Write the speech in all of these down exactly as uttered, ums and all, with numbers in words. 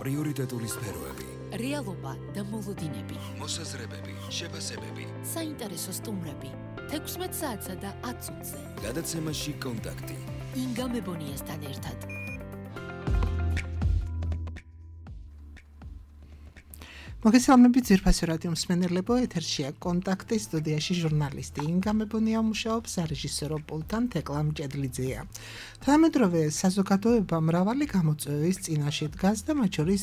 პრიორიტეტული სფეროები, რეალობა და მოლოდინები, მოსაზრებები, შეფასებები, საინტერესო სტუმრები, თექვსმეტ საათსა და ათ წუთზე. გადაცემაში კონტაქტი. ინგა მებონიასთან ერთად. მოგესალმებით ძვირფასო რადიო მსმენელებო, ეთერშია კონტაქტი, სტუდიაში ჟურნალისტი ინგა მებონია მუშაობს, სარეჟისორო პულტთან თეკლა მჭედლიძეა. თანამედროვე საზოგადოება მრავალი გამოწვევის წინაშე დგას და მათ შორის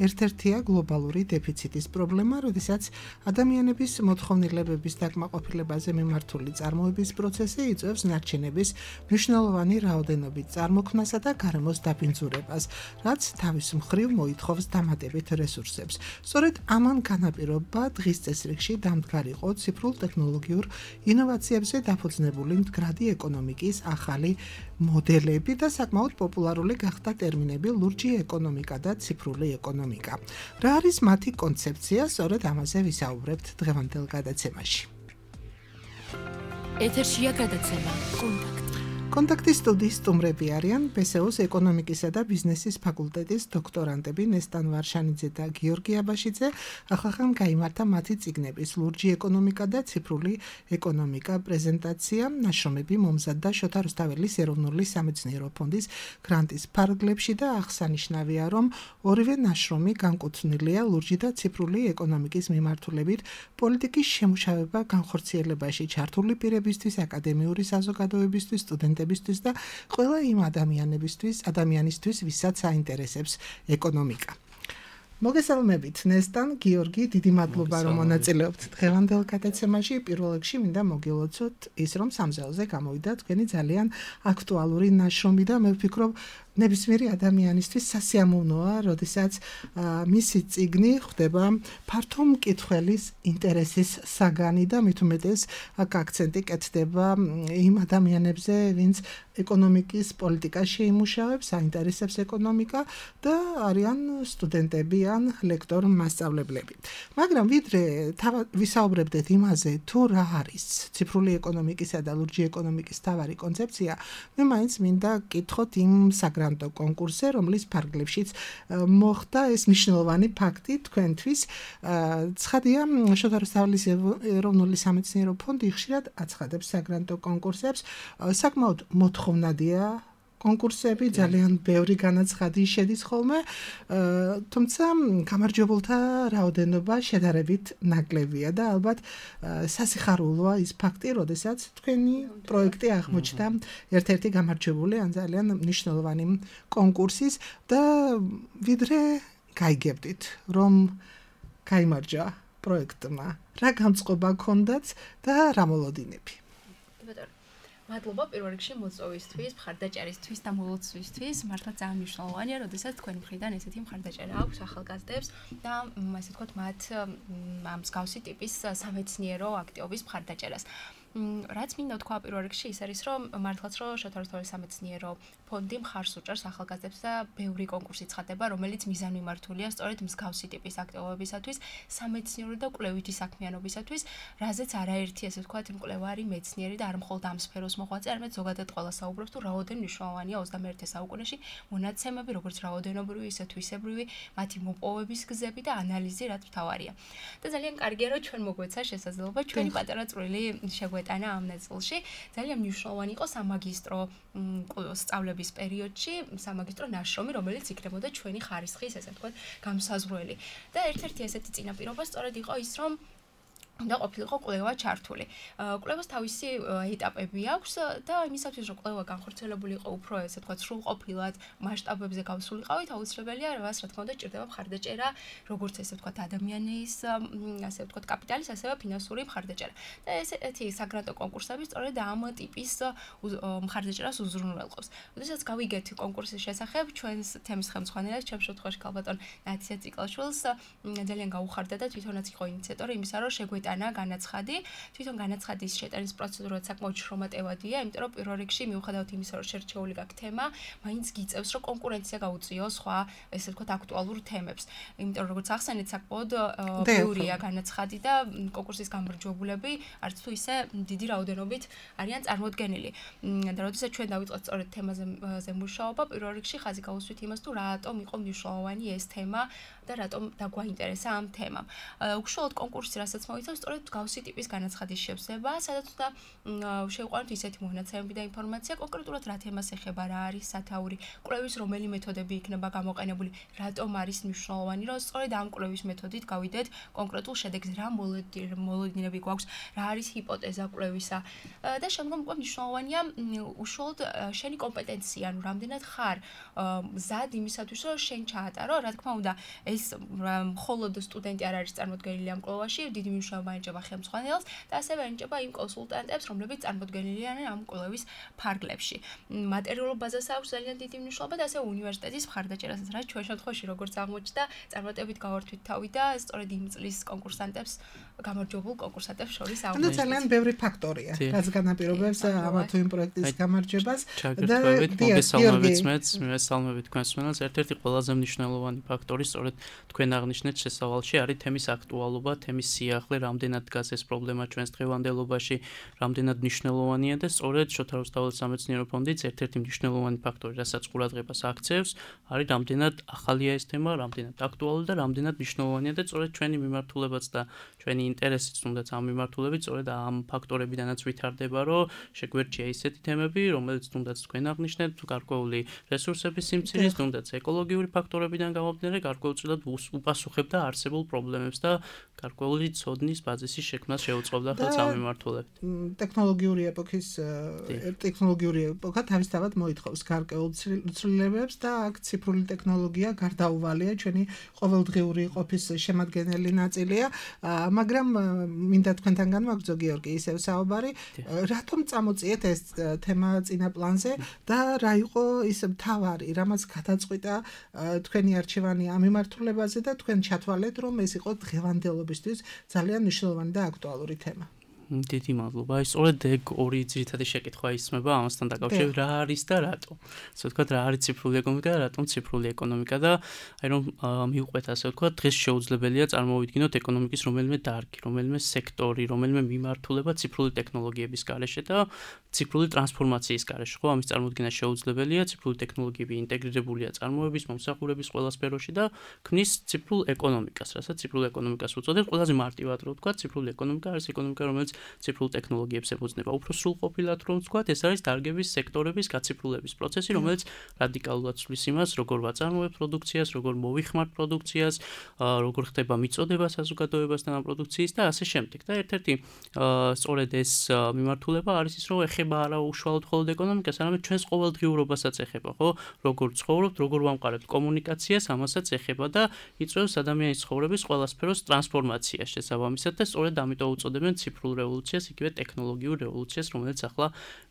ერთ-ერთია გლობალური დეფიციტის პრობლემა, როდესაც ადამიანების მოთხოვნილებების დაკმაყოფილებაზე მიმართული წარმოების პროცესი იწვევს ნარჩენების მნიშვნელოვანი რაოდენობით წარმოქმნასა და გარემოს დაბინძურებას, რაც თავის მხრივ მოითხოვს დამატებით რესურსებს. სწორედ ამან განაპირობა დღის წესრიგში დამდგარიყო ციფრულ ტექნოლოგიურ ინოვაციებზე დაფუძნებული მდგრადი ეკონომიკის ახალი მოდელები და საკმაოდ პოპულარული გახდა ტერმინები ლურჯი ეკონომიკა და ციფრული ეკონომიკა. რა არის მათი კონცეფცია? სწორედ ამაზე ვისაუბრებთ დღევანდელ გადაცემაში. ეთერშია გადაცემა კონტაქტი. კონტაქტის სტუდიის სტუმრები არიან ბესეუს ეკონომიკისა და ბიზნესის ფაკულტეტის დოქტორანტები ნესტან ვარშანიძე და გიორგი აბაშიძე. ახალხან გაიმართა მათი წიგნების ლურჯი ეკონომიკა და ციფრული ეკონომიკა პრეზენტაცია, ნაშრომები მომზადდა შოთა რუსთაველის ეროვნული სამეცნიერო ფონდის გრანტის ფარგლებში და აღსანიშნავია, რომ ორივე ნაშრომი განკუთვნილია ლურჯი და ციფრული ეკონომიკის მიმართულებით პოლიტიკის შემუშავება განხორციელებაში ჩართული პირებისთვის, აკადემიური საზოგადოებისთვის, სტუდენტებისთვის და ყველა იმ ადამიანებისთვის, ადამიანისთვის, ვისაც აინტერესებს ეკონომიკა. მოგესალმებით ნესტან, გიორგი, დიდი მადლობა რომ მონაწილეობთ დღევანდელ გადაცემაში. პირველ რიგში მინდა მოგილოცოთ ის, რომ სამზელზე გამოვიდა თქვენი ძალიან აქტუალური ნაშრომი და მე ვფიქრობ, ნებისმიერი ადამიანისთვის სასიამოვნოა, როდესაც მისი წიგნი ხდება ფართო მკითხველის ინტერესის საგანი და მით უმეტეს აქ აქცენტი კეთდება იმ ადამიანებზე, ვინც ეკონომიკის პოლიტიკაში იმუშავებს, აინტერესებს ეკონომიკა და არიან სტუდენტები ან ლექტორ მასწავლებლები. მაგრამ ვიდრე ვისაუბრებდეთ იმაზე, თუ რა არის ციფრული ეკონომიკისა და ლურჯი ეკონომიკის თავარი კონცეფცია, მე მაინც მინდა გკითხოთ იმ საგრაფო კონკურსზე, რომლის ფარგლებშიც მოხდა ეს მნიშვნელოვანი ფაქტი თქვენთვის. ცხადია, შოთა რუსთაველის ეროვნული სამეცნიერო ფონდი ხშირად აცხადებს საგრანტო კონკურსებს. საკმაოდ მოთხოვნადია კონკურსები, ძალიან ბევრი განაცხადი შედის ხოლმე, თუმცა გამარჯვებულთა რაოდენობა შედარებით ნაკლებია და ალბათ სასიხარულოა ის ფაქტი, როდესაც თქვენი პროექტი აღმოჩნდა ერთ-ერთი გამარჯვებული ან ძალიან მნიშვნელოვანი კონკურსის და ვიდრე გაიგებდით, რომ გაიმარჯვა პროექტმა, რა გამწყობა გქონდათ და რა მოლოდინები? მადლობა პირველ რიგში მოწვევისთვის, მხარდაჭერისთვის და მოლოცვისთვის. მართლა ძალიან მნიშვნელოვანია, როდესაც თქვენი მხრიდან ესეთი მხარდაჭერა აქვს ახალგაზრდებს და ასე ვთქვათ, მათ ამ მსგავსი ტიპის სამეცნიერო აქტივობის მხარდაჭერას. რაც მინდა თქვა პირველ რიგში ის არის, რომ მართლაც რომ შოთა რუსთაველის სამეცნიერო ფონდი მხარს უჭერს ახალგაზრდებს და ბევრი კონკურსი ცხადდება, რომელიც მიზანმიმართულია სწორედ მსგავსი ტიპის აქტივობებისათვის, სამეცნიერო და კვლევითი საქმიანობისათვის, რაზეც არაერთი ასე ვთქვათ, მკვლევარი, მეცნიერი და არ მხოლოდ ამ სფეროს მოღვაწე, არამედ ზოგადად ყველა საუბრობს, თუ რაოდენ მნიშვნელოვანია ოცდამეერთე საუკუნეში მონაცემები, როგორც რაოდენობრივი, ისე თვისებრივი, მათი მოპოვების გზები და ანალიზი, რაც მთავარია. და ძალიან კარგია, რომ ჩვენ მოგვეცა შესაძლებლობა ჩვენი პატარა წვრილი შეგვეტანა ამ ნაწილში. ძალიან მნიშვნელოვანი იყო სამაგისტრო სწავლების პერიოდში სამაგისტრო ნაშრომი, რომელიც იქნებოდა ჩვენი ხარისხის, ესე ვთქვათ, გამსაზღვრელი. და ერთ-ერთი ესეთი წინაპირობა სწორედ იყო ის, რომ უნდა ყოფილიყო კვლევა ჩართული. კვლევას თავისი ეტაპები აქვს და იმისათვის, რომ კვლევა განხორციელებული იყო უფრო, ესე ვთქვათ, სრულყოფილად მასშტაბებზე გავსულიყავით, აუცილებელია, რაც რა თქმა უნდა ჭირდება მხარდაჭერა, როგორც ესე ვთქვათ, ადამიანის, ასე ვთქვათ, კაპიტალის, ასევე ფინანსური მხარდაჭერა. და ესეთი საგრანტო კონკურსები სწორედ ამ ტიპის მხარდაჭერას უზრუნველყოფს. როდესაც გავიგეთ კონკურსის შესახებ, ჩვენს თემის ხელმძღვანელს, ჩემს შემთხვევაში ქალბატონ ნათია ციკლაშვილს ძალიან გაუხარდა და თვითონაც იყო ინიციატორი იმისა, რომ შეგვეტანა მოიტანა განაცხადი. თვითონ განაცხადის შეტანის პროცედურა საკმაოდ შრომატევადია, იმიტომ რომ პირველ რიგში მიუხედავად იმისა, რომ შერჩეული გაქვს თემა, მაინც გიწევს, რომ კონკურენცია გაუწიოს სხვა, ესე ვთქვათ, აქტუალურ თემებს. იმიტომ რომ როგორც ახსენეთ, საკმაოდ ბევრია განაცხადი და კონკურსის გამარჯვებულები არც თუ ისე დიდი რაოდენობით არიან წარმოდგენილი. და როდესაც ჩვენ დავიწყოთ სწორედ თემაზე მუშაობა, პირველ რიგში ხაზი გავუსვით იმას, თუ რატომ იყო მნიშვნელოვანი ეს თემა და რატომ დაგვაინტერესა ამ თემამ. უშუალოდ კონკურსი, რასაც მოიცავს, სწორედ გავსი ტიპის განაცხადის შევსება, სადაც უნდა შევყვანოთ ისეთი მონაცემები და ინფორმაცია, კონკრეტულად რა თემას ეხება, რა არის სათაური, კვლევის რომელი მეთოდები იქნება გამოყენებული, რატომ არის მნიშვნელოვანი, რომ სწორედ ამ კვლევის მეთოდით გავიდეთ კონკრეტულ შედეგზე, რა მოლოდინები გვაქვს, რა არის ჰიპოთეზა კვლევისა და შემდგომ უკვე მნიშვნელოვანია უშუალოდ შენი კომპეტენცია, ანუ რამდენად ხარ მზად იმისათვის, რომ შენ ჩაატარო, რა თქმა უნდა, ეს მხოლოდ სტუდენტი არ არის წარმოდგენილი ამ კვლევაში, დიდი მნიშვნელობა ენიჭება ხელმძღვანელს და ასევე ენიჭება იმ კონსულტანტებს, რომლებიც წარმოდგენილი არიან ამ კვლევის ფარგლებში. მატერიალურ ბაზას აქვს ძალიან დიდი მნიშვნელობა და ასევე უნივერსიტეტის მხარდაჭერასაც, რაც ჩვენ შემთხვევაში როგორც აღმოჩნდა, წარმატებით გავართვით თავი და სწორედ იმ წლის კონკურსანტებს, გამარჯვებულ კონკურსანტებს შორის აღვნიშნეთ. ანუ ძალიან ბევრი ფაქტორია, რაც განაპირობებს ამა თუ იმ პროექტის გამარჯვებას და მოგესალმებით მეც, მოგესალმებით თქვენს მენელს. ერთ-ერთი ყველაზე მნიშვნელოვანი ფაქტორი სწორედ თქვენ აღნიშნეთ შესავალში არის თემის აქტუალობა, თემის სიახლე, რამდენად დგას ეს პრობლემა ჩვენს დღევანდელობაში, რამდენად მნიშვნელოვანია და სწორედ შოთა რუსთაველის სამეცნიერო ფონდიც ერთ-ერთი მნიშვნელოვანი ფაქტორი, რასაც ყურადღებას აქცევს, არის რამდენად ახალია ეს თემა, რამდენად აქტუალური და რამდენად მნიშვნელოვანია და სწორედ ჩვენი მიმართულებაც და ჩვენი ინტერესიც თუნდაც ამ მიმართულებით სწორედ ამ ფაქტორებიდანაც ვითარდება, რომ შეგვერჩია ისეთი თემები, რომელიც თუნდაც თქვენ აღნიშნეთ, გარკვეული რესურსების სიმცირის, თუნდაც ეკოლოგიური ფაქტორებიდან გამომდინარე, გარკვეულწილად უპასუხებდა არსებულ პრობლემებს და გარკვეული ცოდნის ბაზისის შექმნას შეუწყობდა ხელს ამ მიმართულებით. ტექნოლოგიური ეპოქის ტექნოლოგიური ეპოქა თავისთავად მოითხოვს გარკვეულ ცვლილებებს და აქ ციფრული ტექნოლოგია გარდაუვალია ჩვენი ყოველდღიური ყოფის შემადგენელი ნაწილია, მაგრამ მინდა თქვენთან განვაგრძო გიორგი ისევ საუბარი, რატომ წამოწიეთ ეს თემა წინა პლანზე და რა იყო ის მთავარი, რამაც გადაწყვიტა თქვენი არჩევანი ამ მიმართულებაზე და თქვენ ჩათვალეთ, რომ ეს იყო დღევანდელობისთვის ძალიან მნიშვნელოვანი და აქტუალური თემა. დიდი მადლობა. აი სწორედ ეგ ორი ძირითადი შეკითხვა ისმება ამასთან დაკავშირებით, რა არის და რატო. ასე ვთქვათ, რა არის ციფრული ეკონომიკა და რატომ ციფრული ეკონომიკა და აი რომ მივყვეთ ასე ვთქვათ, დღეს შეუძლებელია წარმოვიდგინოთ ეკონომიკის რომელიმე დარგი, რომელიმე სექტორი, რომელიმე მიმართულება ციფრული ტექნოლოგიების გარეშე და ციფრული ტრანსფორმაციის გარეშე. ხო, ამის წარმოდგენა შეუძლებელია, ციფრული ტექნოლოგიები ინტეგრირებულია წარმოების, მომსახურების ყველა სფეროში და ქმნის ციფრულ ეკონომიკას, რასაც ციფრულ ეკონომიკას უწოდებთ. ყველაზე მარტივად რო ვთქვათ, ციფრული ეკონომიკა არის ეკონომიკა, რომელიც ციფრულ ტექნოლოგიებს ეფუძნება. უფრო სრულყოფილად რომ ვთქვათ, ეს არის დარგების სექტორების გაციფრულების პროცესი, რომელიც რადიკალურად ცვლის იმას, როგორ ვაწარმოებთ პროდუქციას, როგორ მოვიხმართ პროდუქციას, როგორ ხდება მიწოდება საზოგადოებასთან ამ პროდუქციის და ასე შემდეგ. და ერთ-ერთი სწორედ ეს მიმართულება არის ის, რომ ეხება არა უშუალოდ მხოლოდ ეკონომიკას, არამედ ჩვენს ყოველდღიურობასაც ეხება, ხო? როგორ ცხოვრობთ, როგორ ვამყარებთ კომუნიკაციას, ამასაც ეხება და იწვევს ადამიანის ცხოვრების ყველა სფეროს ტრანსფორმაციას შესაბამისად და სწორედ ამიტომ უწოდებენ ციფრულ რევოლუციას, იგივე ტექნოლოგიურ რევოლუციას, რომელიც ახლა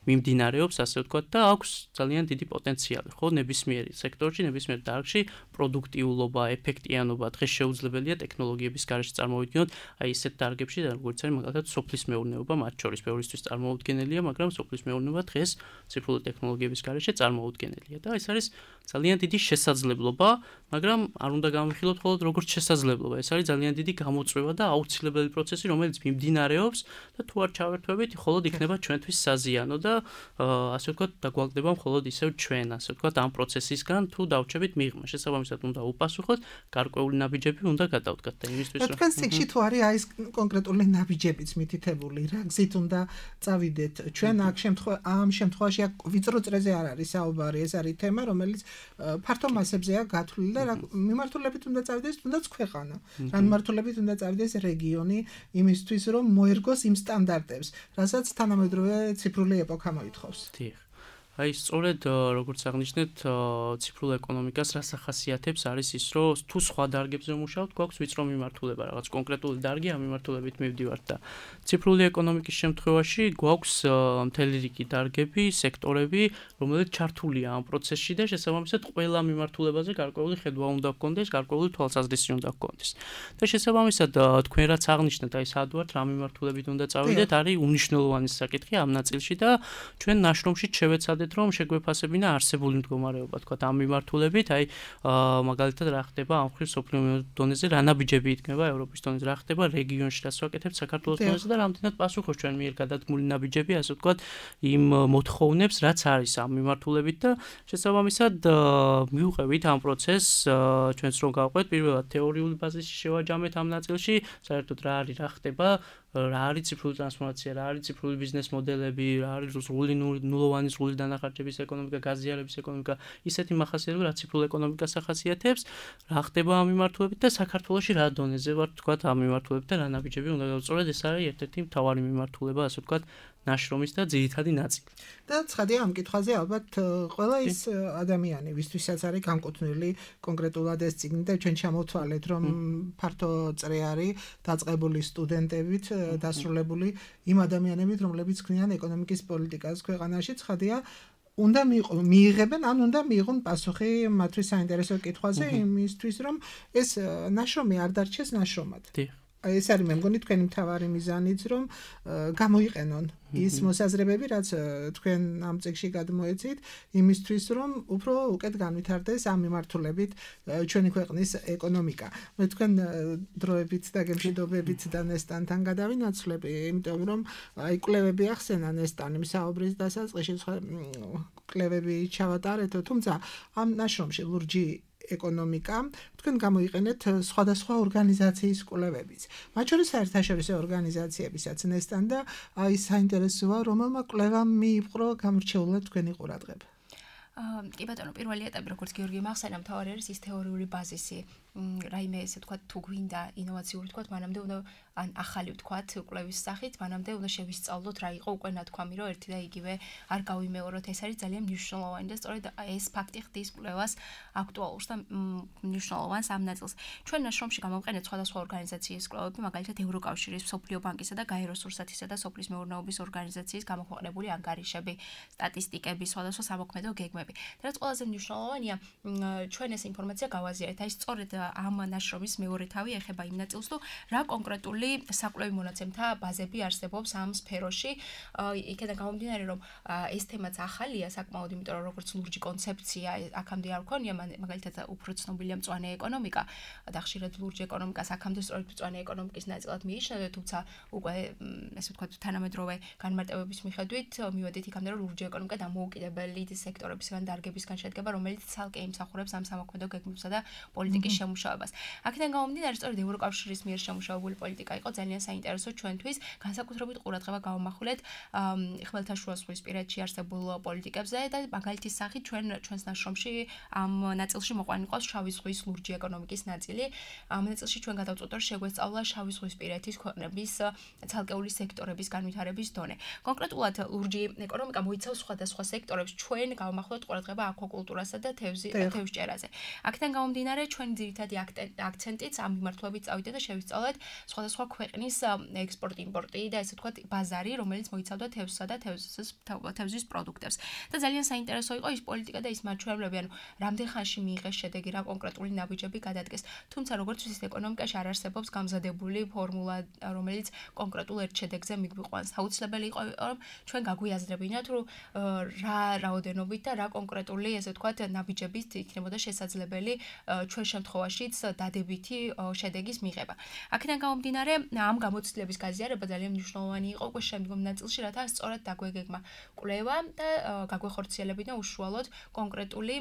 მიმდინარეობს, ასე ვთქვათ, და აქვს ძალიან დიდი პოტენციალი, ხო, ნებისმიერ სექტორში, ნებისმიერ დარგში პროდუქტიულობა, ეფექტიანობა დღეს შეუძლებელია ტექნოლოგიების გარეშე წარმოვიდგინოთ, აი ესეთ დარგებში, როგორც არის მაგალითად სოფლის მეურნეობა, მათ შორის ბევრისთვის წარმოუდგენელია, მაგრამ სოფლის მეურნეობა დღეს ციფრული ტექნოლოგიების გარეშე წარმოუდგენელია და ეს არის ძალიან დიდი შესაძლებლობა, მაგრამ არ უნდა გამოვიხილოთ მხოლოდ როგორც შესაძლებლობა, ეს არის ძალიან დიდი გამოწვევა და აუცილებელი პროცესი, რომელიც მიმდინარეობს და თუ არ ჩავერთვებით, მხოლოდ იქნება ჩვენთვის საზიანო და ასე ვთქვათ, დაგვაგდება მხოლოდ ისევ ჩვენ, ასე ვთქვათ, ამ პროცესისგან თუ დავჩებით მიღმა. შესაბამისად უნდა უპასუხოთ, გარკვეული ნაბიჯები უნდა გადავდგათ და იმისთვის რომ თქვენ სიგში თუ არის აი ეს კონკრეტული ნაბიჯებიც მითითებული, რა გზით უნდა წავიდეთ. ჩვენ აქ შემთხვევაში ამ შემთხვევაში აქ ვიწრო წრეზე არ არის საუბარი, ეს არის თემა, რომელიც ფართო მასებზეა გათვლილი და რა მიმართულებით უნდა წავიდეს, თუნდაც ქვეყანა. რა მიმართულებით უნდა წავიდეს რეგიონი იმისთვის, რომ მოერგოს იმ სტანდარტებს, რასაც თანამედროვე ციფრული ეპოქა მოითხოვს. დიახ. აი, სწორედ როგორც აღნიშნეთ, ციფრულ ეკონომიკას რას ახასიათებს არის ის, რომ თუ სხვა დარგებზე მუშაობთ, გვაქვს ვიწრო მიმართულება, რაღაც კონკრეტული დარგი ამ მიმართულებით მივდივართ და ციფრული ეკონომიკის შემთხვევაში გვაქვს მთელი რიგი დარგები, სექტორები, რომელიც ჩართულია ამ პროცესში და შესაბამისად ყველა მიმართულებაზე გარკვეული ხედვა უნდა გქონდეს, გარკვეული თვალსაზრისი უნდა გქონდეს. და შესაბამისად თქვენ რაც აღნიშნეთ, აი სად ვართ, რა მიმართულებით უნდა წავიდეთ, არის უნიშნელოვანი საკითხი ამ ნაწილში და ჩვენ ნაშრომში შევეცადეთ რომ შეგვეფასებინა არსებული მდგომარეობა, თქვა ამ მიმართულებით, აი მაგალითად რა ხდება ამ ხრივ სოფლიო დონეზე, რა ნაბიჯები იქმნება ევროპის დონეზე, რა ხდება რეგიონში, რას ვაკეთებთ საქართველოს დონეზე და რამდენად პასუხობს ჩვენ მიერ გადადგმული ნაბიჯები, ასე ვთქვათ, იმ მოთხოვნებს, რაც არის ამ მიმართულებით და შესაბამისად მივუყევით ამ პროცესს, ჩვენც რომ გავყვეთ, პირველად თეორიული ბაზისი შევაჯამეთ ამ ნაწილში, საერთოდ რა არის, რა ხდება, რა არის ციფრული ტრანსფორმაცია, რა არის ციფრული ბიზნეს მოდელები, რა არის სრული ნულოვანი სრული დანახარჯების ეკონომიკა, გაზიარების ეკონომიკა, ისეთი მახასიათებლები, რაც ციფრულ ეკონომიკას ახასიათებს, რა ხდება ამ მიმართულებით და საქართველოში რა დონეზე ვართ, თქვათ, ამ მიმართულებით და რა ნაბიჯები უნდა გავწოროთ, ეს არის ერთ-ერთი მთავარი მიმართულება, ასე ვთქვათ, ნაშრომის და ძირითადი ნაწილი. და ცხადია ამ კითხვაზე ალბათ ყველა ის ადამიანი, ვისთვისაც არის განკუთვნილი კონკრეტულად ეს წიგნი და ჩვენ ჩამოვთვალეთ, რომ ფართო წრე არის დაწყებული სტუდენტებით, დასრულებული იმ ადამიანებით, რომლებიც ქმნიან ეკონომიკის პოლიტიკას ქვეყანაში, ცხადია უნდა მიიღებენ, ან უნდა მიიღონ პასუხი მათთვის საინტერესო კითხვაზე, იმისთვის რომ ეს ნაშრომი არ დარჩეს ნაშრომად. ეს არის მე მგონი თქვენი მთავარი მიზანიც, რომ გამოიყენონ ის მოსაზრებები, რაც თქვენ ამ წიგნში გადმოეცით, იმისთვის, რომ უფრო უკეთ განვითარდეს ამ მიმართულებით ჩვენი ქვეყნის ეკონომიკა. მე თქვენ დროებით და გემშვიდობებით და ნესტანთან გადავინაცვლები, იმიტომ რომ აი კვლევები ახსენა ნესტანი საუბრის დასაწყისში, კვლევები ჩავატარეთ, თუმცა ამ ნაშრომში ლურჯი ეკონომიკა, თქვენ გამოიყენეთ სხვადასხვა ორგანიზაციის კვლევებიც. მათ შორის საერთაშორისო ორგანიზაციებისაც ნესტან და აი საინტერესოა, რომელმა კვლევამ მიიპყრო გამორჩეულად თქვენი ყურადღება. კი ბატონო, პირველი ეტაპი, როგორც გიორგი მახსენა, მთავარი არის ის თეორიული ბაზისი. რაიმე ესე თქვა თუ გვინდა ინოვაციური თქვა, მანამდე უნდა ან ახალი თქვა კვლევის სახით, მანამდე უნდა შევისწავლოთ რა იყო უკვე ნათქვამი, რომ ერთი და იგივე არ გავიმეოროთ. ეს არის ძალიან მნიშვნელოვანი და სწორედ ეს ფაქტი ხდის კვლევას აქტუალურს და მნიშვნელოვანს ამ ნაწილს. ჩვენ ნაშრომში გამოვყენეთ სხვადასხვა ორგანიზაციის კვლევები, მაგალითად ევროკავშირის, მსოფლიო ბანკისა და გაეროს რუსათისა და სოფლის მეურნეობის ორგანიზაციის გამოქვეყნებული ანგარიშები, სტატისტიკები, სხვადასხვა სამოქმედო გეგმები. და რაც ყველაზე მნიშვნელოვანია, ჩვენ ეს ინფორმაცია გავაზიარეთ. აი სწორედ ამ ნაშრომის მეორე თავი ეხება იმ ნაწილს, თუ რა კონკრეტული საკვლევი მონაცემთა ბაზები არსებობს ამ სფეროში. იქიდან გამომდინარე, რომ ეს თემაც ახალია საკმაოდ, იმიტომ რომ როგორც ლურჯი კონცეფცია აქამდე არ ქონია, მაგალითად უფრო ცნობილია მწვანე ეკონომიკა და ხშირად ლურჯი ეკონომიკას აქამდე სწორედ მწვანე ეკონომიკის ნაწილად მიიჩნევდა, თუმცა უკვე ესე ვთქვათ თანამედროვე განმარტებების მიხედვით მივედით იქამდე, რომ ლურჯი ეკონომიკა დამოუკიდებელი სექტორებისგან დარგებისგან შედგება, რომელიც ცალკე იმსახურებს ამ სამოქმედო გეგმებსა და პოლიტიკის შემუშავებას. აქედან გამომდინარე, სწორედ ევროკავშირის მიერ შემუშავებული პოლიტიკა იყო ძალიან საინტერესო ჩვენთვის, განსაკუთრებით ყურადღება გავამახვილეთ ხმელთაშუა ზღვისპირეთში არსებულ პოლიტიკებზე და მაგალითის სახით ჩვენ ჩვენს ნაშრომში ამ ნაწილში მოყვანილი ყავს შავი ზღვის ლურჯი ეკონომიკის ნაწილი. ამ ნაწილში ჩვენ გადავწყვეტ, რომ შეგვესწავლა შავი ზღვისპირეთის ქვეყნების ცალკეული სექტორების განვითარების დონე. კონკრეტულად ლურჯი ეკონომიკა მოიცავს სხვადასხვა სექტორებს, ჩვენ გავამახვილეთ ყურადღება აკვაკულტურასა და თევზჭერაზე. აქედან გამომდინარე, ჩვენ ძირითადი აქცენტიც ამ მიმართულებით წავიდა და შევისწავლეთ სხვადასხვა ქვეყნის ექსპორტ-იმპორტი და ესე ვთქვათ ბაზარი, რომელიც მოიცავდა თევზსა და თევზის პროდუქტებს. და ძალიან საინტერესო იყო ის პოლიტიკა და ის მაჩვენებლები, ანუ რამდენ ხანში მიიღეს შედეგი, რა კონკრეტული ნაბიჯები გადადგეს. თუმცა როგორც ვიცით, ეკონომიკაში არ არსებობს გამზადებული ფორმულა, რომელიც კონკრეტულ ერთ შედეგზე მიგვიყვანს. აუცილებელი იყო, რომ ჩვენ გაგვიაზრებინათ, რომ რა რაოდენობით და რა კონკრეტული ესე ვთქვათ ნაბიჯებით იქნებოდა შესაძლებელი ჩვენ შემთხვევაშიც დადებითი შედეგის მიღება. აქედან გამომდინარე, ამ გამოცდილების გაზიარება ძალიან მნიშვნელოვანი იყო უკვე შემდგომ ნაწილში, რათა სწორად დაგვეგეგმა კვლევა და გაგვეხორციელებინა უშუალოდ კონკრეტული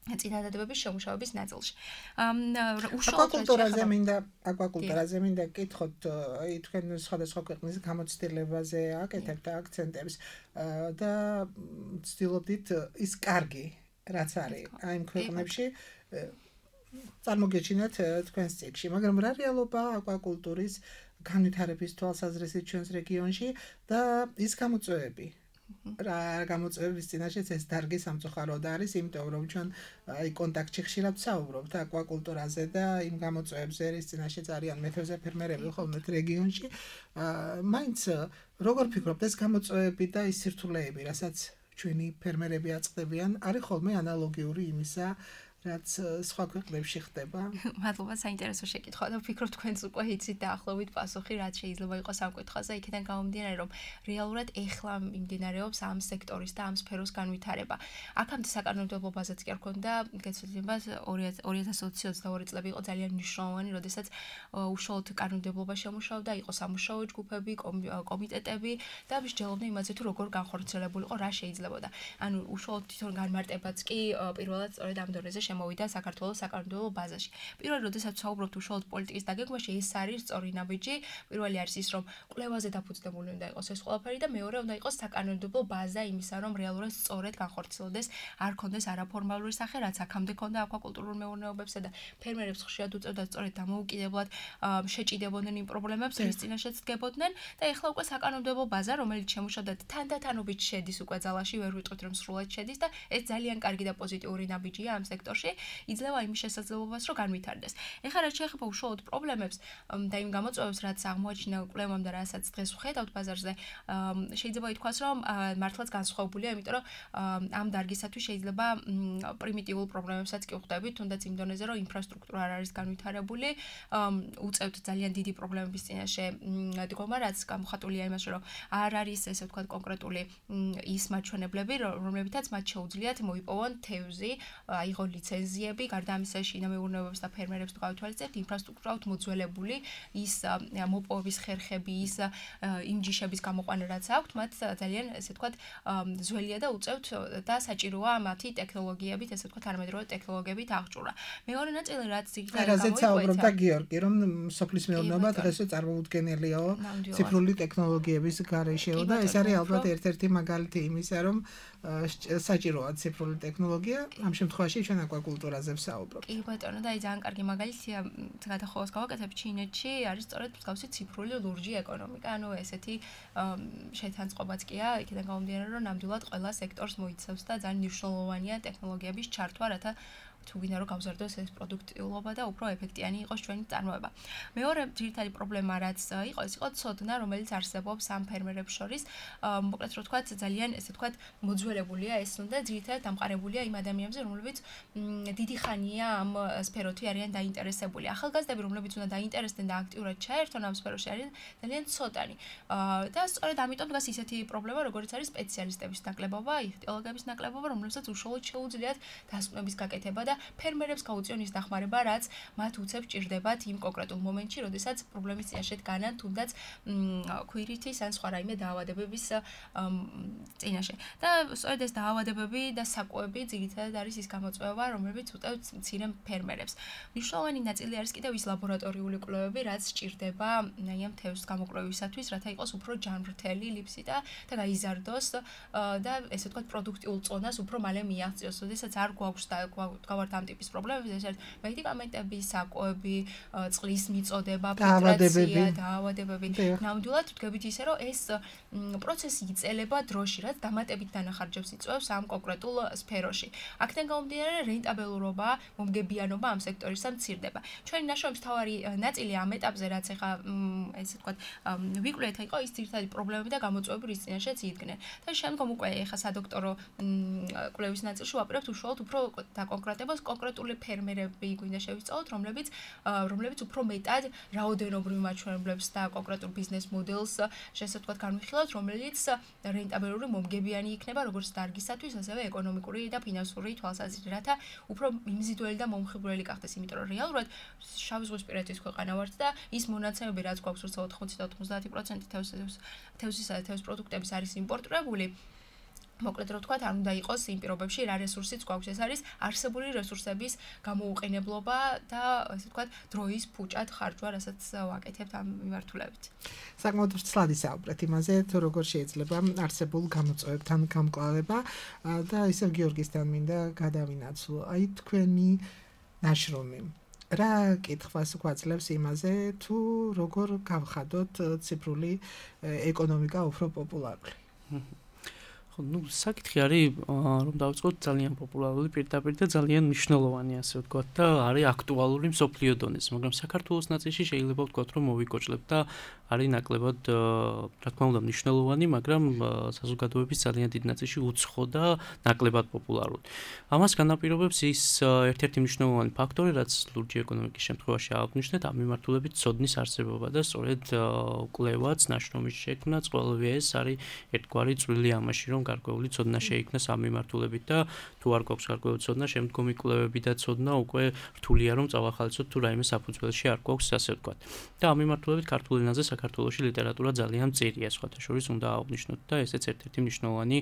წინადადებების შემუშავების ნაწილში. აკვაკულტურაზე მინდა აკვაკულტურაზე მინდა გკითხოთ, აი თქვენ სხვადასხვა ქვეყნის გამოცდილებაზე აკეთებთ აქცენტებს და ვცდილობდით ის კარგი რაც არის აი იმ ქვეყნებში წარმოგეჩინათ თქვენს წიგნში, მაგრამ რა რეალობა აკვაკულტურის განვითარების თვალსაზრისით ჩვენს რეგიონში და ის გამოწვევები, რა გამოწვევების წინაშეც ეს დარგი სამწუხაროდ არის, იმიტომ რომ ჩვენ აი კონტაქტში ხშირად ვსაუბრობთ აკვაკულტურაზე და იმ გამოწვევებზე, რის წინაშეც არიან მეთევზე ფერმერები ხოლმე რეგიონში. მაინც როგორ ფიქრობთ, ეს გამოწვევები და ის სირთულეები, რასაც ჩვენი ფერმერები აწყდებიან, არის ხოლმე ანალოგიური იმისა, რაც სხვა ქვეყნებში ხდება? მადლობა, საინტერესო შეკითხვა და ვფიქრობ თქვენც უკვე იცით დაახლოებით პასუხი, რაც შეიძლება იყოს ამ კითხვაზე, იქიდან გამომდინარე, რომ რეალურად ეხლა მიმდინარეობს ამ სექტორის და ამ სფეროს განვითარება. აქამდე საკანონმდებლო ბაზაც კი არ ქონდა, გეცვლილებას ორი ათას ოცდაორი წლები იყო ძალიან მნიშვნელოვანი, როდესაც უშუალოდ კანონმდებლობა შემუშავდა, იყო სამუშაო ჯგუფები, კომიტეტები და მსჯელობდნენ იმაზე, თუ როგორ განხორციელებულიყო, რა შეიძლებოდა. ანუ უშუალოდ თვითონ განმარტებაც კი პირველად სწორედ ამ დონეზე შემოვიდა საქართველოს საკანონმდებლო ბაზაში. პირველად, როდესაც ვსაუბრობთ უშუალოდ პოლიტიკის დაგეგმვაში, ეს არის სწორი ნაბიჯი. პირველი არის ის, რომ კვლევაზე დაფუძნებული უნდა იყოს ეს ყველაფერი და მეორე უნდა იყოს საკანონმდებლო ბაზა იმისა, რომ რეალურად სწორედ განხორციელდეს, არ ქონდეს არაფორმალური სახე, რაც აქამდე ქონდა აკვაკულტურულ მეურნეობებსა და ფერმერებს ხშირად უწევდა სწორედ დამოუკიდებლად შეჭიდებოდნენ იმ პრობლემებს, რის წინაშეც დგებოდნენ და ეხლა უკვე საკანონმდებლო ბაზა, რომელიც შემუშავდა თანდათანობით შედის უკვე ძალაში, ვერ ვიტყვით რომ სრულად შედის და ეს ძალიან კარგი და პოზიტიური ნაბიჯია ამ სექტორში. იძლევა იმის შესაძლებლობას, რომ განვითარდეს. ეხლა რაც შეეხება უშუალოდ პრობლემებს და იმ გამოწვევებს, რაც აღმოაჩინა კვლევამ და რასაც დღეს ვხედავთ ბაზარზე, შეიძლება ითქვას, რომ მართლაც განსხვავებულია, იმიტომ რომ ამ დარგისათვის შეიძლება პრიმიტიულ პრობლემებსაც კი ვხვდებით, თუნდაც იმ დონეზე, რომ ინფრასტრუქტურა არ არის განვითარებული, უწევთ ძალიან დიდი პრობლემების წინაშე დგომა, რაც გამოხატულია იმაში, რომ არ არის ესე ვთქვათ კონკრეტული ის მაჩვენებლები, რომლებითაც მათ შეუძლიათ მოიპოვონ თევზი, აიღო ლიცენზიები, გარდა ამისა შინამეურნეობებს და ფერმერებს თუ გავითვალისწინებთ, ინფრასტრუქტურა მოძველებული, ის მოპოვების ხერხები, ის იმ ჯიშების გამოყვანა რაც აქვთ, მათ ძალიან ესე ვთქვათ ძველია და უწევთ და საჭიროა მათი ტექნოლოგიებით, ესე ვთქვათ არამედროვე ტექნოლოგიებით აღჭურვა. მეორე ნაწილი რაც ძირითადად გამოიკვეთა. საუბრობდა გიორგი, რომ სოფლის მეურნეობა დღესვე წარმოუდგენელიაო ციფრული ტექნოლოგიების გარეშეო და ეს არის ალბათ ერთ-ერთი მაგალითი იმისა, რომ საჭიროა ციფრული ტექნოლოგია, ამ შემთხვევაში ჩვენ აკვაკულტურაზე ვსაუბრობთ. კი ბატონო, და აი ძალიან კარგი მაგალითია, გადახოვას გავაკეთებ ჩინეთში, არის სწორედ მსგავსი ციფრული ლურჯი ეკონომიკა, ანუ ესეთი შეთანწყობაც კია, იქიდან გამომდინარე, რომ ნამდვილად ყველა სექტორს მოიცავს და ძალიან მნიშვნელოვანია ტექნოლოგიების ჩართვა, რათა თუ გინდა რომ გავზარდოს ეს პროდუქტიულობა და უფრო ეფექტიანი იყოს ჩვენი წარმოება. მეორე ძირითადი პრობლემა რაც იყო, ეს იყო ცოდნა, რომელიც არსებობს ამ ფერმერებს შორის. მოკლედ რო ვთქვათ, ძალიან ესე ვთქვათ, მოძველებულია ეს უნდა ძირითადად დამყარებულია იმ ადამიანებზე, რომლებიც დიდი ხანია ამ სფეროთი არიან დაინტერესებული. ახალგაზრდები, რომლებიც უნდა დაინტერესდნენ და აქტიურად ჩაერთონ ამ სფეროში, არიან ძალიან ცოტანი. და სწორედ ამიტომ დგას ისეთი პრობლემა, როგორც არის სპეციალისტების ნაკლებობა, იხტიოლოგების ნაკლებობა, რომლებსაც უშუალოდ შეუძლიათ დასკვნების გაკეთება და ფერმერებს გაუწიონ ის დახმარება, რაც მათ უცებ ჭირდებათ იმ კონკრეტულ მომენტში, როდესაც პრობლემის წინაშე დგანან, თუნდაც ქვირითის ან სხვა რაიმე დაავადებების წინაშე. და სწორედ ეს დაავადებები და საკუები ძირითადად არის ის გამოწვევა, რომლებიც უწევთ მცირე ფერმერებს. მნიშვნელოვანი ნაწილი არის კიდევ ის ლაბორატორიული კვლევები, რაც ჭირდება აი ამ თევზის გამოკვლევისათვის, რათა იყოს უფრო ჯანმრთელი ლიფსი და და გაიზარდოს და ესე ვთქვათ პროდუქტიულ წონას უფრო მალე მიაღწიოს, როდესაც არ გვაქვს და გავართ ამ ტიპის პრობლემები, ეს არის მედიკამენტები, საკუები, წყლის მიწოდება, ფილტრაცია, დაავადებები. ნამდვილად ვდგებით ისე, რომ ეს პროცესი იწელება დროში, რაც დამატებით დანახარჯებს იწვევს ამ კონკრეტულ სფეროში. აქედან გამომდინარე, რენტაბელურობა, მომგებიანობა ამ სექტორისა მცირდება. ჩვენი ნაშრომის მთავარი ნაწილი ამ ეტაპზე, რაც ეხა ესე ვთქვათ, ვიკვლევთ, იყო ის ძირითადი პრობლემები და გამოწვევები, რის წინაშეც იდგნენ. და შემდგომ უკვე ეხა სადოქტორო კვლევის ნაწილში ვაპირებთ უშუალოდ უფრო დაკონკრეტებას კონკრეტული ფერმერები გვინდა შევისწავლოთ, რომლებიც რომლებიც უფრო მეტად რაოდენობრივ მაჩვენებლებს და კონკრეტულ ბიზნეს მოდელს შესაძლოა ვთქვათ განვიხილოთ, რომელიც რენტაბელური მომგებიანი იქნება როგორც დარგისათვის, ასევე ეკონომიკური და ფინანსური თვალსაზრისით, რათა უფრო მიმზიდველი და მომხიბვლელი გახდეს, იმიტომ რომ რეალურად შავი ზღვისპირეთის ქვეყანა ვართ და ის მონაცემები, რაც გვაქვს როცა ოთხმოცი და ოცდაათი პროცენტი თევზისა და თევზის პროდუქტების არის იმპორტირებული, მოკლედ რო ვთქვათ, არ უნდა იყოს იმ პირობებში რა რესურსიც გვაქვს, ეს არის არსებული რესურსების გამოუყენებლობა და ასე ვთქვათ, დროის ფუჭად ხარჯვა, რასაც ვაკეთებთ ამ მიმართულებით. საკმაოდ ვრცლად ისაუბრეთ იმაზე, თუ როგორ შეიძლება არსებულ გამოწვევებთან გამკლავება და ისევ გიორგისთან მინდა გადავინაცვლო. აი თქვენი ნაშრომი რა კითხვას გვაძლევს იმაზე, თუ როგორ გავხადოთ ციფრული ეკონომიკა უფრო პოპულარული? ну, საკითხი არის, რომ დავიწყოთ ძალიან პოპულარული პირდაპირ და ძალიან მნიშვნელოვანი, ასე ვთქვათ, და არის აქტუალური მსოფლიო დონეზე, მაგრამ საქართველოს ნაწილში შეიძლება ვთქვათ, რომ მოვიკოჭლებთ და არის ნაკლებად, რა თქმა უნდა, მნიშვნელოვანი, მაგრამ საზოგადოების ძალიან დიდ ნაწილში უცხო და ნაკლებად პოპულარული. ამას განაპირობებს ის ერთ-ერთი მნიშვნელოვანი ფაქტორი, რაც ლურჯი ეკონომიკის შემთხვევაში აღნიშნეთ, ამ მიმართულებით ცოდნის არსებობა და სწორედ კვლევაც, ნაშრომის შექმნაც, ყველაფერი ეს არის ერთგვარი წვლილი ამაში, რომ გარკვეული ცოდნა შეიქმნას ამ მიმართულებით და თუ არ გვაქვს გარკვეული ცოდნა, შემდგომი კვლევები და ცოდნა უკვე რთულია რომ წავახალისოთ თუ რაიმე საფუძველში არ გვაქვს, ასე ვთქვათ. და ამ მიმართულებით ქართულ ენაზე საქართველოში ლიტერატურა ძალიან მწირია, სხვათა შორის უნდა აღვნიშნოთ და ესეც ერთ-ერთი მნიშვნელოვანი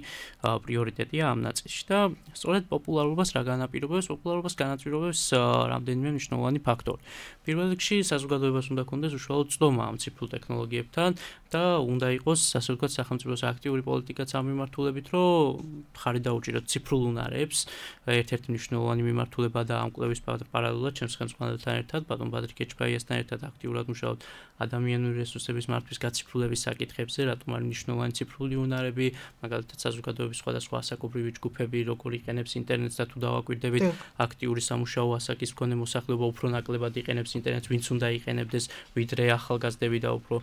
პრიორიტეტია ამ ნაწილში. და სწორედ პოპულარობას რა განაპირობებს? პოპულარობას განაპირობებს რამდენიმე მნიშვნელოვანი ფაქტორი. პირველ რიგში საზოგადოებას უნდა ქონდეს უშუალო ცდომა ამ ციფრულ ტექნოლოგიებთან და უნდა იყოს, ასე ვთქვათ, სახელმწიფოს აქტიური პოლიტიკაც ამ მიმართულებით, რომ ხარი დაუჭიროთ ციფრულ უნარებს. ერთ-ერთი მნიშვნელოვანი მიმართულება და ამ კვლევის პარალელურად ჩემს ხელმძღვანელთან ერთად, ბატონ ბადრი კეჩბაიასთან ერთად აქტიურად მუშაობთ ადამიანური რესურსების მართვის გაციფრულების საკითხებზე, რატომ არის მნიშვნელოვანი ციფრული უნარები, მაგალითად საზოგადოების სხვადასხვა ასაკობრივი ჯგუფები, როგორ იყენებს ინტერნეტს და თუ დავაკვირდებით, აქტიური სამუშაო ასაკის მქონე მოსახლეობა უფრო ნაკლებად იყენებს ინტერნეტს, ვინც უნდა იყენებდეს, ვიდრე ახალგაზრდები და უფრო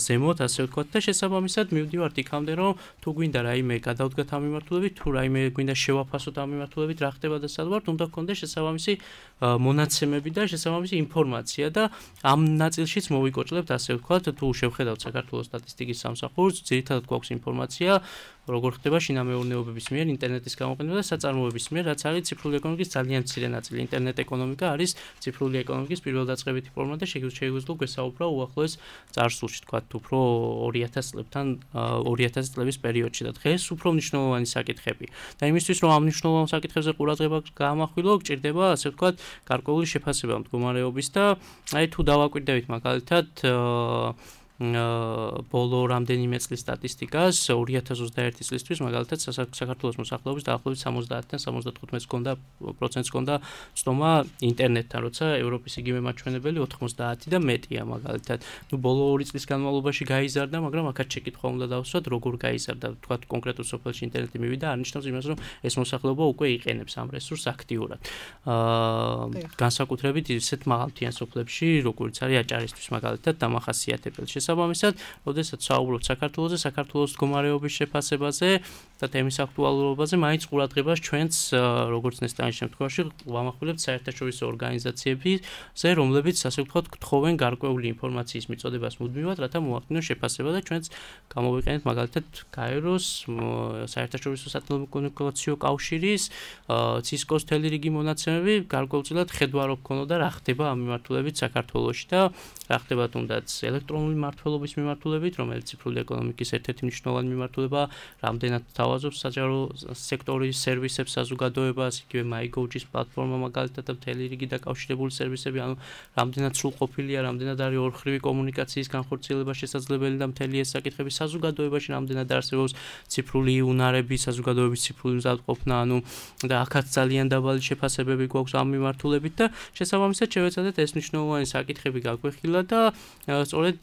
ზემოთ, ასე ვთქვათ, და შესაბამისად მივდივართ იქამდე, რომ თუ გვინდა რაიმე გადავდგათ ამ მიმართულებით, თუ რაიმე გვინდა შევაფასოთ ამ მიმართულებით, რა ხდება და სად ვართ, უნდა გქონდეს შესაბამისი მონაცემები და შესაბამისი ინფორმაცია და ამ ნაწილშიც მოვიკოჭლებთ, ასე ვთქვათ, თუ შევხედავთ საქართველოს სტატისტიკის სამსახურს, ძირითადად გვაქვს ინფორმაცია, როგორ ხდება შინამეურნეობების მიერ ინტერნეტის გამოყენება და საწარმოების მიერ, რაც არის ციფრული ეკონომიკის ძალიან მცირე ნაწილი. ინტერნეტ ეკონომიკა არის ციფრული ეკონომიკის პირველდაწყებითი ფორმა და შეგვიძლია გვესაუბრა უახლოეს წარსულში, თქვათ, უფრო ორი ათას წლებთან, ორი ათასი წლების პერიოდში და დღეს უფრო მნიშვნელოვანი საკითხები. და იმისთვის, რომ ამ მნიშვნელოვან საკითხებზე ყურადღება გაამახვილო, გჭირდება, ასე ვთქვათ, გარკვეული შეფასება მდგომარეობის და აი თუ დავაკვირდებით მაგალითად ბოლო რამდენიმე წლის სტატისტიკას ორი ათას ოცდაერთი წლისთვის მაგალითად საქართველოს მოსახლეობის დაახლოებით სამოცდაათიდან სამოცდათხუთმეტ პროცენტს ჰქონდა ცდომა ინტერნეტთან, როცა ევროპის იგივე მაჩვენებელი ოთხმოცდაათი და მეტია მაგალითად. ნუ ბოლო ორი წლის განმავლობაში გაიზარდა, მაგრამ აქაც შეკითხვა უნდა დავსვათ, როგორ გაიზარდა, თქვათ კონკრეტულ სოფელში ინტერნეტი მივიდა, არნიშნავს იმას, რომ ეს მოსახლეობა უკვე იყენებს ამ რესურსს აქტიურად. აა განსაკუთრებით ისეთ მაღალმთიან სოფლებში, როგორც არის აჭარისთვის მაგალითად დამახასიათებელი. შესაბამისად, როდესაც საუბრობთ საქართველოზე, საქართველოს მდგომარეობის შეფასებაზე და თემის აქტუალურობაზე, მაინც ყურადღებას ჩვენც, როგორც ნესტანის შემთხვევაში, ვამახვილებთ საერთაშორისო ორგანიზაციებზე, რომლებიც, ასე ვთქვათ, გთხოვენ გარკვეული ინფორმაციის მიწოდებას მუდმივად, რათა მოახდინონ შეფასება და ჩვენც გამოვიყენეთ მაგალითად გაეროს, საერთაშორისო სატელეკომუნიკაციო კავშირის, ცისკოს მთელი რიგი მონაცემები, გარკვეულწილად ხედვა რო გქონოდა რა ხდება ამ მიმართულებით საქართველოში და რა ხდება თუნდაც ელექტრონული მმართველობის მიმართულებით, რომელიც ციფრული ეკონომიკის ერთ-ერთი მნიშვნელოვანი მიმართულებაა, რამდენად თავაზობს საჯარო სექტორის სერვისებს საზოგადოებას, იგივე MyGov-ის პლატფორმა მაგალითად და მთელი რიგი დაკავშირებული სერვისები, ანუ რამდენად სრულყოფილია, რამდენად არის ორხრივი კომუნიკაციის განხორციელება შესაძლებელი და მთელი ეს საკითხები საზოგადოებაში რამდენად არსებობს ციფრული უნარები, საზოგადოების ციფრული მზადყოფნა, ანუ და აქაც ძალიან დაბალი შეფასებები გვაქვს ამ მიმართულებით და შესაბამისად შევეცადეთ ეს მნიშვნელოვანი საკითხები გაგვეხილა და სწორედ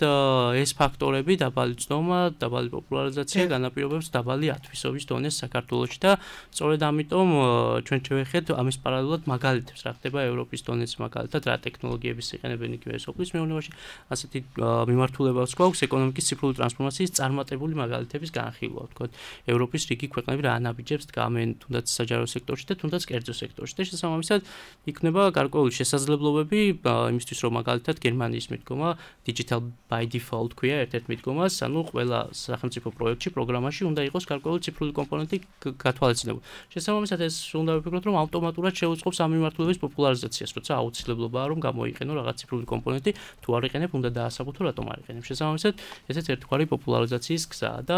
ეს ფაქტორები, დაბალი ცდომა, დაბალი პოპულარიზაცია განაპირობებს დაბალი ათვისობის დონეს საქართველოში და სწორედ ამიტომ ჩვენ შევეხეთ ამის პარალელურად მაგალითებს, რა ხდება ევროპის დონეზე მაგალითად, რა ტექნოლოგიების იყენებენ იგივე სოფლის მეურნეობაში, ასეთი მიმართულებაც გვაქვს ეკონომიკის ციფრული ტრანსფორმაციის წარმატებული მაგალითების განხილვა, ვთქვათ, ევროპის რიგი ქვეყნები რა ანაბიჯებს დგამენ თუნდაც საჯარო სექტორში და თუნდაც კერძო სექტორში და შესაბამისად იქნება გარკვეული შესაძლებლობები იმისთვის, რომ მაგალითად გერმანიის მიდგომა digital by default ქვია ერთ-ერთ მიდგომას, ანუ ყველა სახელმწიფო პროექტში, პროგრამაში უნდა იყოს გარკვეული ციფრული კომპონენტი გათვალისწინებული. შესაბამისად ეს უნდა ვფიქროთ, რომ ავტომატურად შეუწყობს ამ მიმართულების პოპულარიზაციას, როცა აუცილებლობაა რომ გამოიყენო რაღაც ციფრული კომპონენტი, თუ არ იყენებ, უნდა დაასაბუთო, რატომ არ იყენებ. შესაბამისად, ესეც ერთგვარი პოპულარიზაციის გზაა და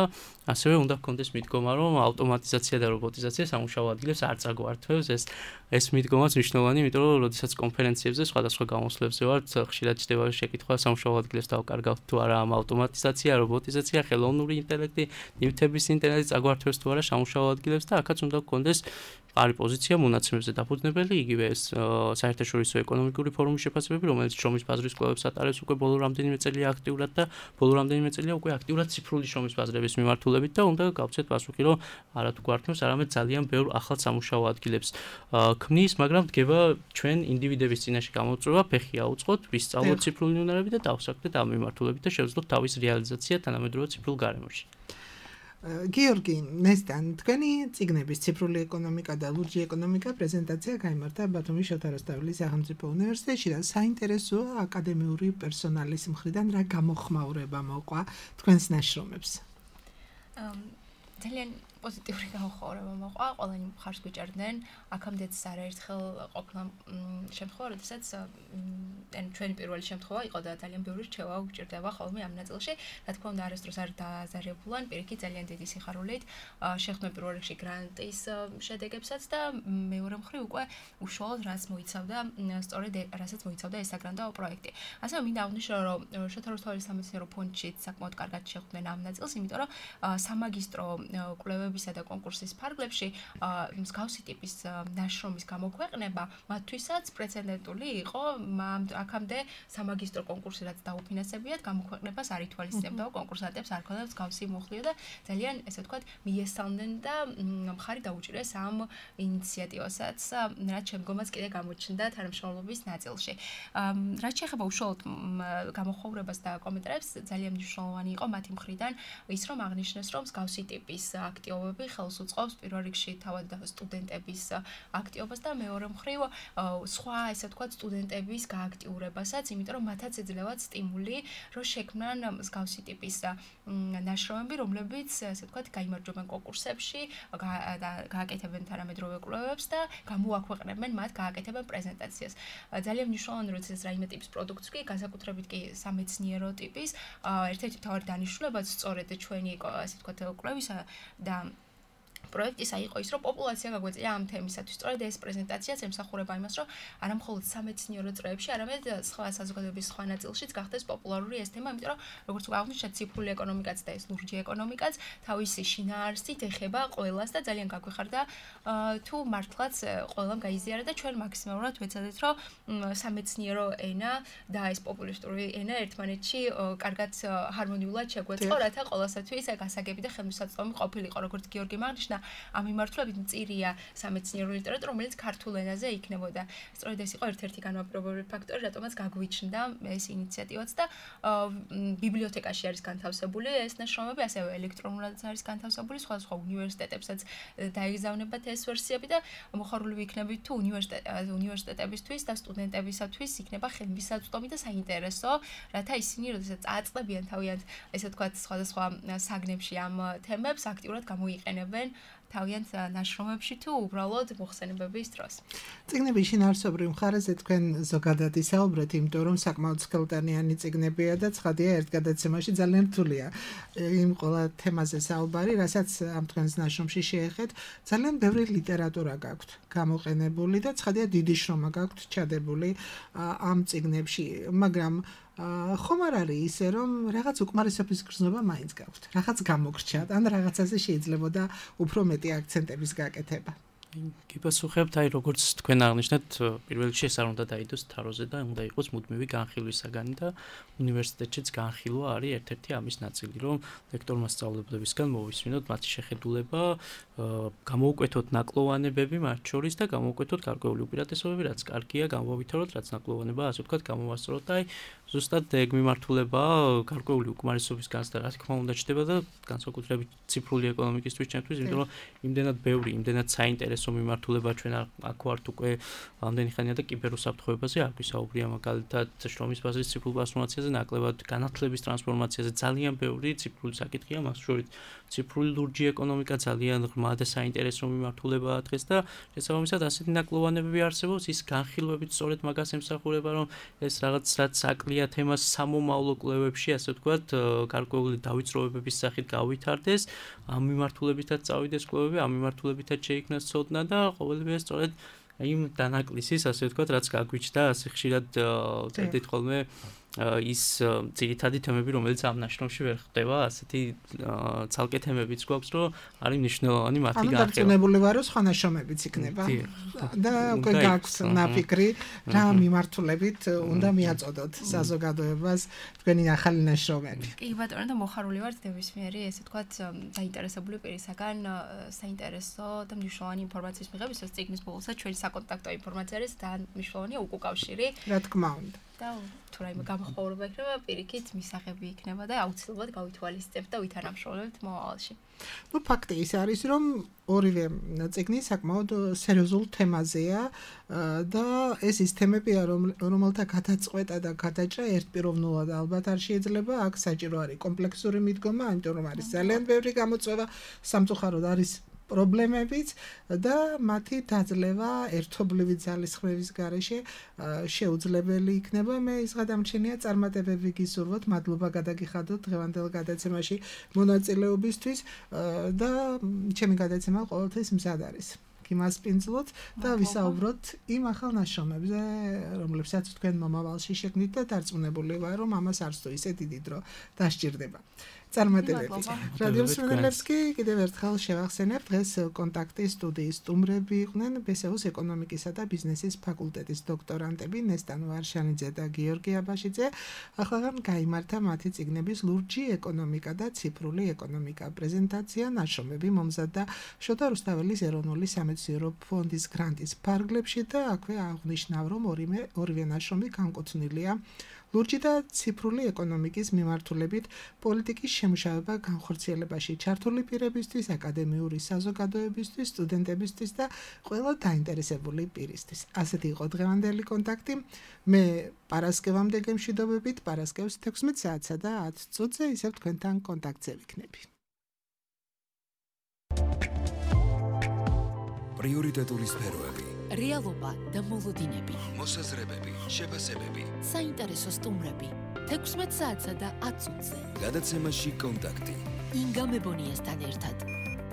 ასევე უნდა გქონდეს მიდგომა, რომ ავტომატიზაცია და რობოტიზაცია სამუშაო ადგილებს არ წაგვართვევს. ეს ეს მიდგომაც მნიშვნელოვანი, იმიტომ რომ როდესაც კონფერენციებზე სხვადასხვა გამოსვლებზე ვართ, ხშირად ჩდება შეკითხვა სამუშაო ადგილებს დავკარგავთ თუ თუ არა ამ ავტომატიზაცია, რობოტიზაცია, ხელოვნური ინტელექტი, ნივთების ინტელექტი წაგვართვებს თუ არა სამუშაო ადგილებს და აქაც უნდა გქონდეს არის პოზიცია მონაცემებზე დაფუძნებელი, იგივე ეს საერთაშორისო ეკონომიკური ფორუმის შეფასებები, რომელიც შრომის ბაზრის კვლევებს ატარებს უკვე ბოლო რამდენიმე წელია აქტიურად და ბოლო რამდენიმე წელია უკვე აქტიურად ციფრული შრომის ბაზრების მიმართულებით და უნდა გავცეთ პასუხი, რომ არა თუ გვართმევს, არამედ ძალიან ბევრ ახალ სამუშაო ადგილებს ქმნის, მაგრამ დგება ჩვენ ინდივიდების წინაშე გამოწვევა, ფეხი აუწყოთ, ვისწავლოთ ციფრული უნარები და დავსაქმდეთ ამ მიმართულებით და შევძლოთ თავის რეალიზაცია თანამედროვე ციფრულ გარემოში. გიორგი, ნესტან, თქვენი წიგნების ციფრული ეკონომიკა და ლურჯი ეკონომიკა პრეზენტაცია გაიმართა ბათუმის შოთა რუსთაველის სახელმწიფო უნივერსიტეტში და საინტერესოა აკადემიური პერსონალის მხრიდან რა გამოხმაურება მოყვა თქვენს ნაშრომებს. ძალიან პოზიტიური გამოხმაურება მოყვა, ყველანი მხარს გვიჭერდნენ, აქამდეც არაერთხელ ყოფნა შემთხვევა, როდესაც ან ჩვენი პირველი შემთხვევა იყო და ძალიან ბევრი რჩევა გვჭირდება ხოლმე ამ ნაწილში, რა თქმა უნდა არასდროს არ დააზარებულან, პირიქით ძალიან დიდი სიხარულით შეხვდნენ პირველ რიგში გრანტის შედეგებსაც და მეორე მხრივ უკვე უშუალოდ რაც მოიცავდა, სწორედ რასაც მოიცავდა ეს საგრანტო პროექტი. ასევე მინდა აღვნიშნო, რომ შოთა რუსთაველის სამეცნიერო ფონდში საკმაოდ კარგად შეხვდნენ ამ ნაწილს, იმიტომ რომ სამაგისტრო კვლევებისა და კონკურსის ფარგლებში მსგავსი ტიპის ნაშრომის გამოქვეყნება მათთვისაც პრეცედენტული იყო, აქამდე სამაგისტრო კონკურსი რაც დაუფინანსებიათ, გამოქვეყნებას არ ითვალისწინებდა კონკურსანტებს არ ქონდათ მსგავსი მუხლი და ძალიან ესე ვთქვათ მიესალმნენ და მხარი დაუჭირეს ამ ინიციატივასაც, რაც შემდგომაც კიდე გამოჩნდა თანამშრომლობის ნაწილში. რაც შეეხება უშუალოდ გამოხმაურებას და კომენტარებს, ძალიან მნიშვნელოვანი იყო მათი მხრიდან ის, რომ აღნიშნეს, რომ მსგავსი ტიპის აქტივობები ხელს უწყობს პირველ რიგში თავად სტუდენტების აქტივობას და მეორე მხრივ სხვა ესე ვთქვათ სტუდენტების გააქტიურებასაც, იმიტომ რომ მათაც ეძლევათ სტიმული, რომ შექმნან მსგავსი ტიპის ნაშრომები, რომლებიც ესე ვთქვათ გაიმარჯვებენ კონკურსებში, გააკეთებენ თანამედროვე კვლევებს და გამოაქვეყნებენ მათ, გააკეთებენ პრეზენტაციას. ძალიან მნიშვნელოვანია, რომ ეს რაიმე ტიპის პროდუქტს კი განსაკუთრებით კი სამეცნიერო ტიპის, ერთ-ერთი მთავარი დანიშნულებაც სწორედ ჩვენი ესე ვთქვათ კვლევისა და პროექტისა იყო ის, რომ პოპულაცია გაგვეწია ამ თემისათვის. სწორედ ეს პრეზენტაციაც ემსახურება იმას, რომ არა მხოლოდ სამეცნიერო წრეებში, არამედ სხვა საზოგადოების სხვა ნაწილშიც გახდეს პოპულარული ეს თემა, იმიტომ რომ როგორც ვაღნიშნეთ, ციფრული ეკონომიკაც და ეს ლურჯი ეკონომიკაც თავისი შინაარსით ეხება ყველას და ძალიან გაგვიხარდა თუ მართლაც ყველამ გაიზიარა და ჩვენ მაქსიმალურად ვეცადეთ, რომ სამეცნიერო ენა და ეს პოპულისტური ენა ერთმანეთში კარგად ჰარმონიულად შეგვეწყო, რათა ყველასათვის გასაგები და ხელმისაწვდომი ყოფილიყო, როგორც გიორგი აღნიშნა. ამ მიმართულებით მწირია სამეცნიერო ლიტერატურა, რომელიც ქართულ ენაზე იქნებოდა. სწორედ ეს იყო ერთ-ერთი განმაპირობებელი ფაქტორი, რატომაც გაგვიჩნდა ეს ინიციატივაც და ბიბლიოთეკაში არის განთავსებული ეს ნაშრომები, ასევე ელექტრონულადაც არის განთავსებული, სხვადასხვა უნივერსიტეტებსაც დაეგზავნებათ ეს ვერსიები და მოხარული ვიქნებით თუ უნივერსიტეტებისთვის და სტუდენტებისათვის იქნება ხელმისაწვდომი და საინტერესო, რათა ისინი როდესაც წააწყდებიან თავიანთ, ესე ვთქვათ, სხვადასხვა საგნებში ამ თემებს აქტიურად გამოიყენებენ თავიანთ ნაშრომებში თუ უბრალოდ მოხსენებების დროს. წიგნების შინაარსობრივ მხარეზე თქვენ ზოგადად ისაუბრეთ, იმიტომ რომ საკმაოდ სქელტანიანი წიგნებია და ცხადია ერთ გადაცემაში ძალიან რთულია იმ ყველა თემაზე საუბარი, რასაც ამ თქვენს ნაშრომში შეეხეთ. ძალიან ბევრი ლიტერატურა გაქვთ გამოყენებული და ცხადია დიდი შრომა გაქვთ ჩადებული ამ წიგნებში, მაგრამ ხომ არ არის ისე, რომ რაღაც უკმარისობის გრძნობა მაინც გაქვთ, რაღაც გამოგრჩათ, ან რაღაცაზე შეიძლებოდა უფრო მეტი აქცენტების გაკეთება. გიპასუხებთ, აი როგორც თქვენ აღნიშნეთ, პირველ რიგში ეს არ უნდა დაიდოს თაროზე და უნდა იყოს მუდმივი განხილვის საგანი და უნივერსიტეტშიც განხილვა არის ერთ-ერთი ამის ნაწილი, რომ ლექტორმა სწავლებლებისგან მოვისმინოთ მათი შეხედულება, გამოუკვეთოთ ნაკლოვანებები მათ შორის და გამოუკვეთოთ გარკვეული უპირატესობები, რაც კარგია, გამოვითავოთ, რაც ნაკლოვანებაა, ასე ვთქვათ, გამოვასწოროთ და აი ზუსტად ეგ მიმართულება გარკვეული უკმარისობის განცდა, რა თქმა უნდა, ჩდება და განსაკუთრებით ციფრული ეკონომიკისთვის ჩემთვის, იმიტომ რომ იმდენად ბევრი, იმდენად საინტერესო მიმართულება ჩვენ აქ ვართ უკვე ამდენი ხანია და კიბერუსაფრთხოებაზე არ გვისაუბრია, მაგალითად შრომის ბაზრის ციფრულ ტრანსფორმაციაზე, ნაკლებად განათლების ტრანსფორმაციაზე, ძალიან ბევრი ციფრული საკითხია, მას შორის ციფრული ლურჯი ეკონომიკა ძალიან ღრმა და საინტერესო მიმართულებაა დღეს და შესაბამისად ასეთი ნაკლოვანებები არსებობს, ის განხილვებით სწორედ მაგას ემსახურება, რომ ეს რაღაც რაც საკლია თემას სამომავლო კვლევებში, ასე ვთქვათ, გარკვეული დავიწროვებების სახით გავითარდეს, ამ მიმართულებითაც წავიდეს კვლევები, ამ მიმართულებითაც შეიქმნას ცოდნა და ყოველივე სწორედ იმ დანაკლისის, ასე ვთქვათ, რაც გაგვიჩნდა, ასე ხშირად ვწერდით ხოლმე ის ძირითადი თემები, რომელიც ამ ნაშრომში ვერ ხდება, ასეთი ცალკე თემებიც გვაქვს, რომ არის მნიშვნელოვანი მათი განხილვა. ანუ დარწმუნებული ვარ, რომ სხვა ნაშრომებიც იქნება. და უკვე გაქვს ნაფიქრი, რა მიმართულებით უნდა მიაწოდოთ საზოგადოებას თქვენი ახალი ნაშრომები. კი, ბატონო, და მოხარული ვარ ნებისმიერი, ესე ვთქვათ, დაინტერესებული პირისაგან საინტერესო და მნიშვნელოვანი ინფორმაციის მიღებისას წიგნის ბოლოსაც ჩვენი საკონტაქტო ინფორმაცია არის და მნიშვნელოვანია უკავშირი. რა თქმა უნდა. და თუ რაიმე გამოხმაურება იქნება, პირიქით მისაღები იქნება და აუცილებლად გავითვალისწინებთ და ვითანამშრომლებთ მომავალში. Ну, ფაქტი ის არის, რომ ორივე წიგნი საკმაოდ სერიოზულ თემაზეა და ეს ის თემებია, რომელთა გადაწყვეტა და გადაჭრა ერთპიროვნულად ალბათ არ შეიძლება, აქ საჭირო არის კომპლექსური მიდგომა, იმიტომ რომ არის ძალიან ბევრი გამოწვევა, სამწუხაროდ არის პრობლემებიც და მათი დაძლევა ერთობლივი ძალისხმევის გარეშე შეუძლებელი იქნება. მე ის გადამჩენია წარმატებები გისურვოთ, მადლობა გადაგიხადოთ დღევანდელ გადაცემაში მონაწილეობისთვის და ჩემი გადაცემა ყოველთვის მზად არის. გიმასპინძლოთ და ვისაუბროთ იმ ახალ ნაშრომებზე, რომლებსაც თქვენ მომავალში შეგნით და დარწმუნებული ვარ, რომ ამას არც თუ ისე დიდი დრო დასჭირდება. წარმატებები. რადიო მსმენელებს კი კიდევ ერთხელ შევახსენებ, დღეს კონტაქტის სტუდიის სტუმრები იყვნენ ბესეუს ეკონომიკისა და ბიზნესის ფაკულტეტის დოქტორანტები ნესტან ვარშანიძე და გიორგი აბაშიძე. ახლავე გაიმართა მათი წიგნების ლურჯი ეკონომიკა და ციფრული ეკონომიკა პრეზენტაცია, ნაშრომები მომზადდა შოთა რუსთაველის ეროვნული სამეცნიერო ფონდის გრანტის ფარგლებში და აქვე აღნიშნავ, რომ ორივე ორივე ნაშრომი განკუთვნილია ლურჯი და ციფრული ეკონომიკის მიმართულებით პოლიტიკის შემუშავება განხორციელებაში ჩართული პირებისთვის, აკადემიური საზოგადოებისთვის, სტუდენტებისთვის და ყველა დაინტერესებული პირისთვის. ასეთი იყო დღევანდელი კონტაქტი. მე პარასკევამდე გემშვიდობებით, პარასკევს თექვსმეტ საათსა და ათ წუთზე ისევ თქვენთან კონტაქტზე ვიქნები. პრიორიტეტული სფეროები, რეალობა და მოლოდინები, მოსაზრებები, შეფასებები, საინტერესო სტუმრები, თექვსმეტ საათსა და ათ წუთზე. გადაცემაში კონტაქტი. ინგა მებონიასთან ერთად.